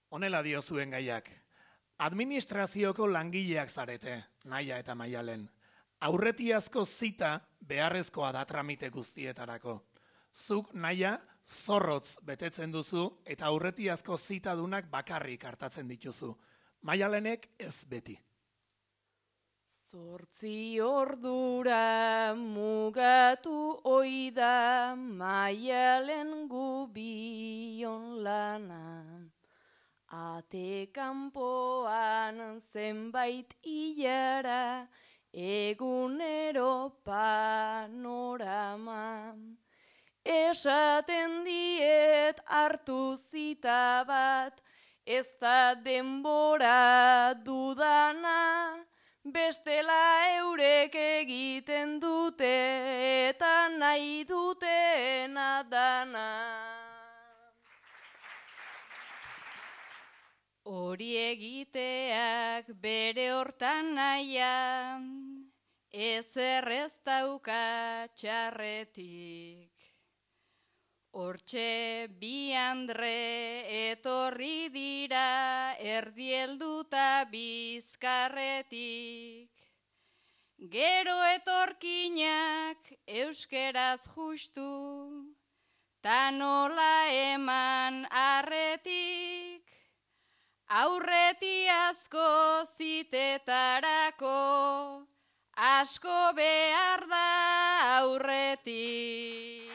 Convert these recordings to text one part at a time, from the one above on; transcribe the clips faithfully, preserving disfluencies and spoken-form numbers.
Honela dio zuen gaiak. Administrazioko langileak zarete, Naia eta Maialen. Aurretiazko zita beharrezkoa da tramite guztietarako. Zuk, Naia, zorrotz betetzen duzu eta aurretiazko zitadunak bakarrik hartatzen dituzu. Maialenek ez beti. Zortzi ordura mugatu oida Maialen gubion lana. Ate kanpoan zenbait hilara egunero panorama. Esaten diet hartu zita bat, ez da denbora dudana, bestela eurek egiten dute eta nahi dutena dana. Hori egiteak bere hortan naia, ezer ez dauka txarretik. Hortxe bi andre etorri dira erdielduta bizkarretik. Gero etorkinak euskeraz justu, ta nola eman arretik. Aurretiazko zitetarako asko behar da aurretik.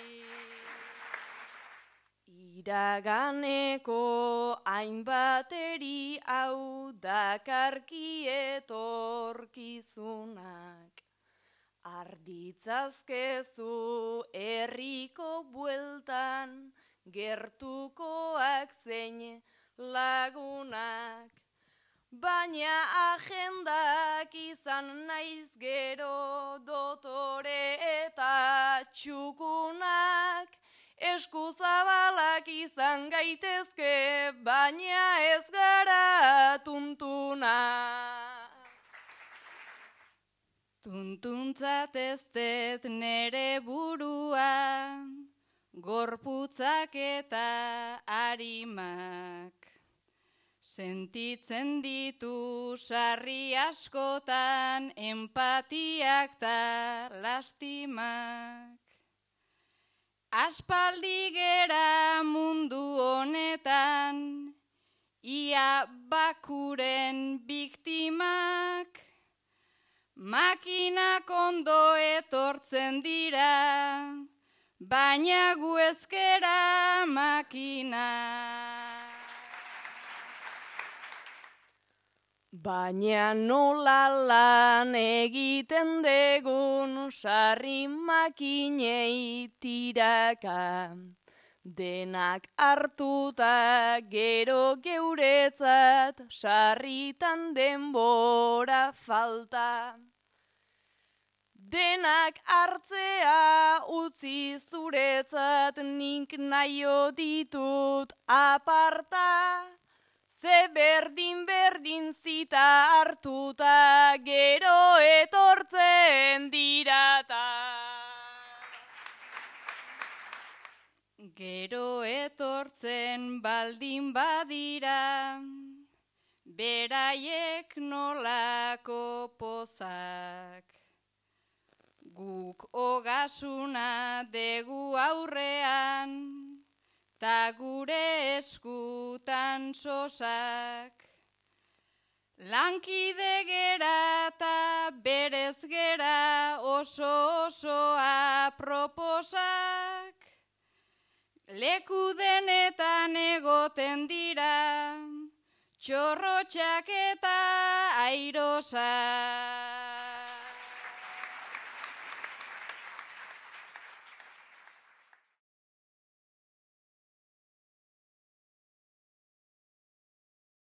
Iraganeko hainbateri hau dakarki etorkizunak. Arditzazkezu herriko bueltan gertukoak zein lagunak. Baina agendak izan naiz gero dotore eta txukunak. Eskuzabalak izan gaitezke, baina ez gara tuntuna. Tuntuntzat ez dut nere burua, gorputzak eta arimak. Sentitzen ditu sarri askotan, empatiak ta lastimak. Aspaldi gera mundu honetan, ia bakuren biktimak. Makinak ondo etortzen dira, baina gu ezkera makina. Baina nola lan egiten degun sarri makinei tiraka. Denak hartuta gero geuretzat sarritan denbora falta. Denak hartzea utzi zuretzat nik naio ditut aparta. Ze berdin berdin zita hartuta gero etortzen dirata. Gero etortzen baldin badira, beraiek nolako pozak. Guk ogasuna degu aurrean, ta gure eskutan sosak. Lankide gera ta berez gera oso osoa proposak. Leku denetan egoten dira, txorrotxak eta airosak.